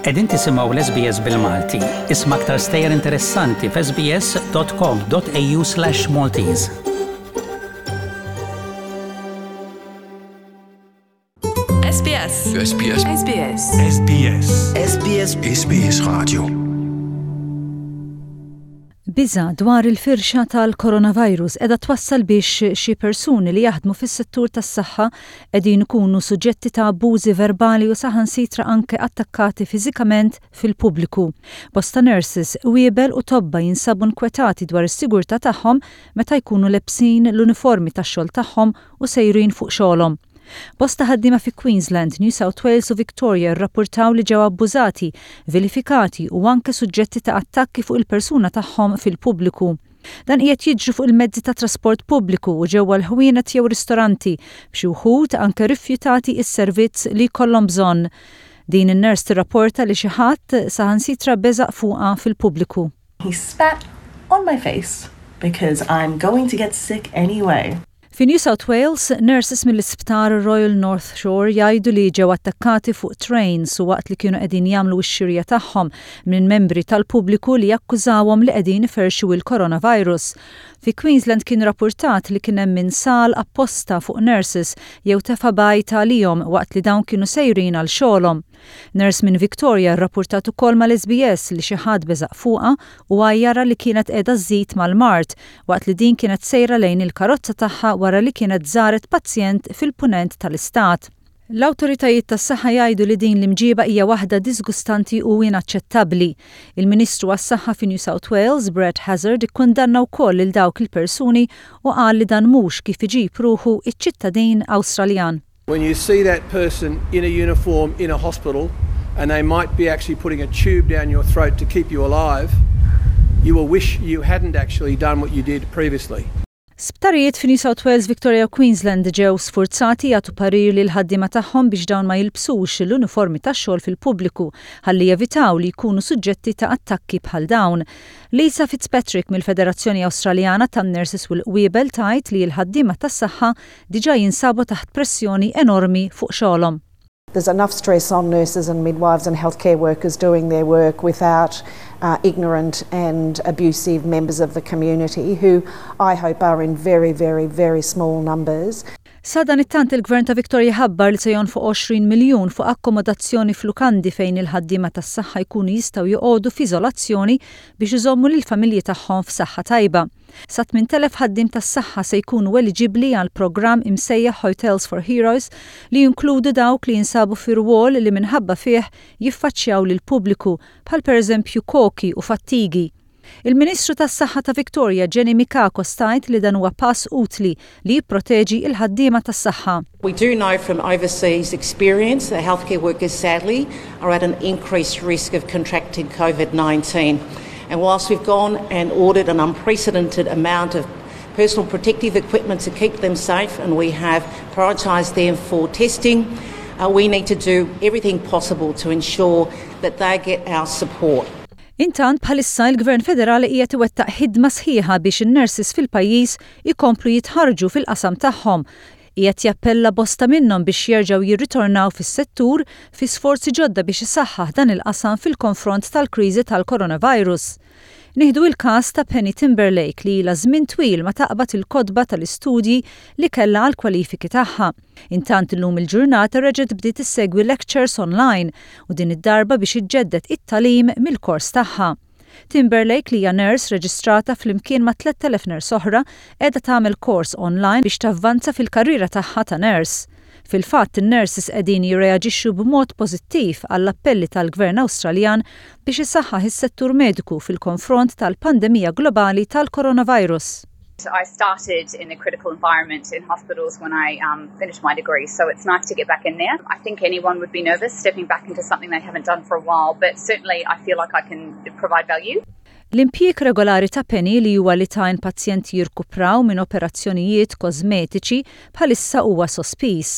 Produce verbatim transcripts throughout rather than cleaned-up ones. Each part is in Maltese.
Qegħdin tisimgħu l-S B S bil-Malti. Isma' aktar stejjer interessanti f'S B S dot com dot A U slash Maltese. S B S. S B S. S B S. S B S. S B S. S B S Radio. Biża dwar il-firxa tal-coronavirus qiegħda twassal biex xi persuni li jaħdmu fis-settur tas-saħħa qegħdin ikunu suġġetti ta' abbużi verbali u saħansitra anke attakkati fiżikament fil-pubbliku. Bosta nurses, qwiebel u tobba jinsabu nkwetati dwar is-sigurtà tagħhom meta jkunu lebsin l-uniformi tax-xogħol tagħhom u sejrin fuq xogħolhom. Bosta ħaddiema fi Queensland, New South Wales u Victoria rrapportaw li ġew abbużati, vilifikati u anke suġġetti ta' attakki fuq il-persuna tagħhom fil-pubbliku. Dan qiegħed jiġri fuq il-mezzi ta' trasport pubbliku u ġewwa l-ħwienet jew ristoranti, b'xi wħud anke rifjutati is-servizz li jkollhom bżonn. Din in-nurse tirrapporta li xi ħadd saħansitra beżaq fuqha fil-pubbliku. He spat on my face because I'm going to get sick anyway. Fi New South Wales, nurses mill-isptar Royal North Shore jgħidu li ġew attakkati fuq trains u waqt li kienu qegħdin jagħmlu x-xirja tagħhom minn membri tal-pubbliku li jakkużawhom li qegħdin iferxu il-coronavirus. Fi Queensland kien rapportat li kien hemm min sal apposta fuq nurses jew tefa' bajd għalihom waqt li dawn kienu sejrin għal xogħolhom. Nurse minn Victoria rrapportat ukoll mal-S B S li xi ħadd beżaq fuqha u għajjarha li kienet qiegħda żżid mal-mard waqt li din kienet sejra lejn il-karozza tagħha wara li kienet żaret pazjent fil-punent tal-istat. L-awtoritajiet tas-saħħa jgħidu li din l-imġiba hija waħda disgustanti u inaċċettabbli. Il-Ministru għas-Saħħa fi New South Wales, Brad Hazzard, ikkundanna wkoll lil dawk il-persuni u qal li dan mhux kif iġib ruħu iċ-ċittadin Awstraljan. When you see that person in a uniform in a hospital and they might be actually putting a tube down your throat to keep you alive, you will wish you hadn't actually done what you did previously. Sptarijiet fi New South Wales, Victoria u Queensland ġew sfurzati jagħtu parir lil ħaddiema tagħhom biex dawn ma jilbsux l-uniformi tax-xogħol fil-pubbliku ħalli jevitaw li jkunu suġġetti ta' attakki bħal dawn. Lisa Fitzpatrick mill-Federazzjoni Awstraljana tan-Nurses u l-Qwiebel tgħid li l-ħaddiema tas-saħħa diġà jinsabu taħt pressjoni enormi fuq xogħolhom. There's enough stress on nurses and midwives and healthcare workers doing their work without uh, ignorant and abusive members of the community who I hope are in very, very, very small numbers. Sadanittant, il-Gvern ta' Victoria ħabbar li se jonfoq għoxrin miljun fuq akkomodazzjoni f'lukandi fejn il-ħaddiema tas-saħħa jkunu jistgħu joqogħdu f'iżolazzjoni biex iżommu lill-familji tagħhom f'saħħa tajba. Sa tmint elef ħaddiem tas-saħħa se jkunu eliġibbli għal programm imsejjaħ Hotels for Heroes li jinkludu dawk li jinsabu fi rwol li minħabba fih jiffaċċjaw lil pubbliku, bħal pereżempju koki u fattigi. Il-Ministru tas-Saħħa ta' Victoria, Jenny Mikakos, tgħid li dan huwa pass utli li jipproteġi il-ħaddiema tas-saħħa. We do know from overseas experience that healthcare workers sadly are at an increased risk of contracting COVID nineteen. And whilst we've gone and ordered an unprecedented amount of personal protective equipment to keep them safe and we have prioritised them for testing, uh, we need to do everything possible to ensure that they get our support. Intant, bħalissa il-Gvern Federali qiegħed iwettaq ħidma sħiħa biex in-nurses fil-pajjiż ikomplu jitħarġu fil-qasam tagħhom. Qiegħed jappella bosta minnhom biex jerġgħu jirritornaw fis-settur fi sforzi ġodda biex isaħħaħ dan il-qasam fil-konfront tal-kriżi tal-coronavirus. Nieħdu il-każ ta' Penny Timberlake li ilha żmien twil ma taqbad il-kotba tal-istudji li kellha għal kwalifiki tagħha. Intant, illum il-ġurnata reġgħet bdiet issegwi lectures online u din id-darba biex iġġedded it-tagħlim mill-kors tagħha. Timberlake, li hija nurse reġistrata flimkien ma' tlett elef nurse oħra, qiegħda tagħmel kors online biex tavvanza fil-karriera tagħha ta' nurse. Fil-fatt, in-nurses qegħdin jirreaġixxu b'mod pożittiv għall-appelli tal-Gvern Awstraljan biex isaħħaħ is-settur mediku fil-konfront tal-pandemija globali tal-coronavirus. I started in a critical environment in hospitals when I um, finished my degree, so it's nice to get back in there. I think anyone would be nervous stepping back into something they haven't done for a while, but certainly I feel like I can provide value. L-impjieg regolari ta' Penny, li huwa li tgħin pazjenti jirkupraw minn operazzjonijiet kosmetiċi, bħalissa huwa sospiż.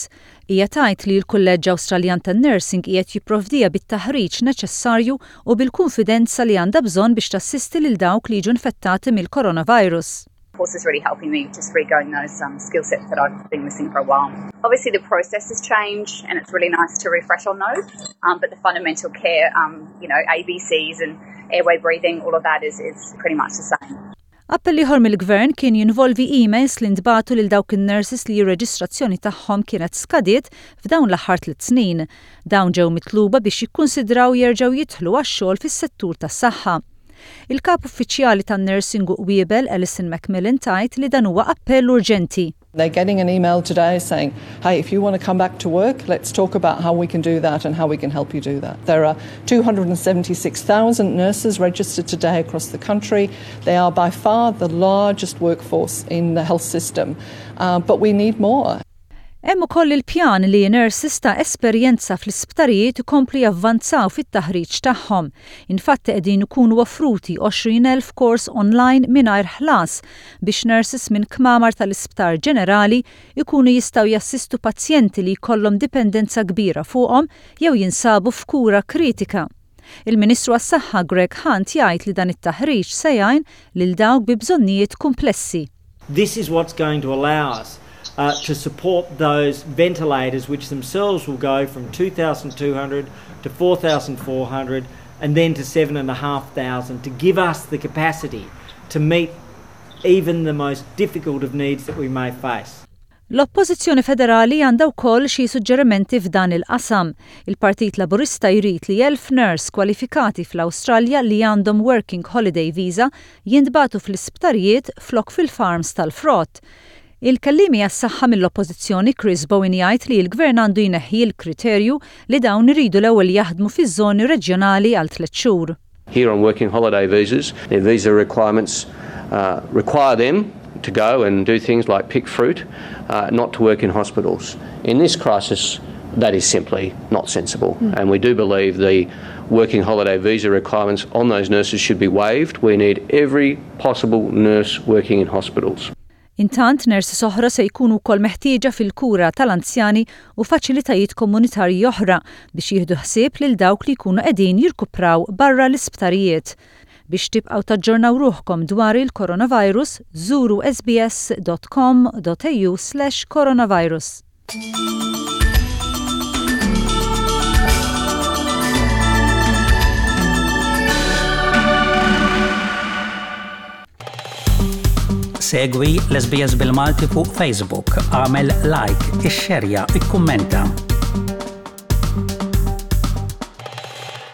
Hija tgħid li l-Kulleġġ Awstraljan tan-Nursing qiegħed jipprovdiha bit-taħriġ neċessarju u bil-konfidenza li għandha bżonn biex tassisti lil dawk li jiġu infettati mill-coronavirus. course is really helping me just regain those um, skill sets that I've been missing for a while. Obviously, the processes change, and it's really nice to refresh on those. Um, but the fundamental care, um, you know, A B Cs and airway breathing, all of that is, is pretty much the same. Appell ieħor mill-gvern kien jinvolvi emails li ntbagħtu lil dawk in-nurses li r-reġistrazzjoni tagħhom kienet skadiet f'dawn l-aħħar tliet snin. Dawn ġew mitluba biex jikkunsidraw jerġgħu jidħlu għax-xogħol fis-settur tas-saħħa. Il-kap uffiċjali tan-nursing u qwiebel Alison Macmillan tgħid li dan huwa appell urġenti. They're getting an email today saying, "Hey, if you want to come back to work, let's talk about how we can do that and how we can help you do that." There are two hundred seventy-six thousand nurses registered today across the country. They are by far the largest workforce in the health system, uh, but we need more. Hemm ukoll il-pjan li nurses ta' esperjenza fl-isptarijiet ikomplu javvanzaw fit-taħriġ tagħhom. Infatti qegħdin ikunu offruti għoxrin elf kors online mingħajr ħlas biex nurses minn kmamar tal-isptar ġenerali ikunu jistgħu jassistu pazjenti li jkollhom dipendenza kbira fuqhom jew jinsabu f'kura kritika. Il-Ministru għas-Saħħa Greg Hunt jgħid li dan it-taħriġ se jgħin lil dawk bi bżonnijiet komplessi. This is what's going to allow us uh, to support those ventilators, which themselves will go from two thousand two hundred to four thousand four hundred and then to seven thousand five hundred to give us the capacity to meet even the most difficult of needs that we may face. L-Oppożizzjoni Federali għandha wkoll xi suġġerimenti f'dan il-qasam. Il-Partit Laburista jrid li elf nurse kwalifikati fl-Awstralja li għandhom Working Holiday Visa jintbagħtu fl-isptarijiet flok fil-farms tal-frott. Il-kellimi għas-saħħa mill-Oppożizzjoni Chris Bowen jgħid li l-gvern għandu jneħħi l-kriterju li dawn iridu l-ewwel jaħdmu fiż-żoni reġjonali għal tliet xhur. Here on working holiday visas, their visa requirements uh, require them to go and do things like pick fruit, uh, not to work in hospitals. In this crisis, that is simply not sensible. Mm. And we do believe the working holiday visa requirements on those nurses should be waived. We need every possible nurse working in hospitals. Intant, nurses oħra se jkunu wkoll meħtieġa fil-kura tal-anzjani u faċilitajiet komunitarji oħra biex jieħdu ħsieb lil dawk li jkunu qegħdin jirkupraw barra l-isptarijiet. Biex tibqgħu taġġornaw ruħkom dwar il-coronavirus, żuru S B S dot com dot A U slash coronavirus. Segwi l-S B S bil-Malti fuq Facebook, agħmel like, ixxerja, ikkummenta.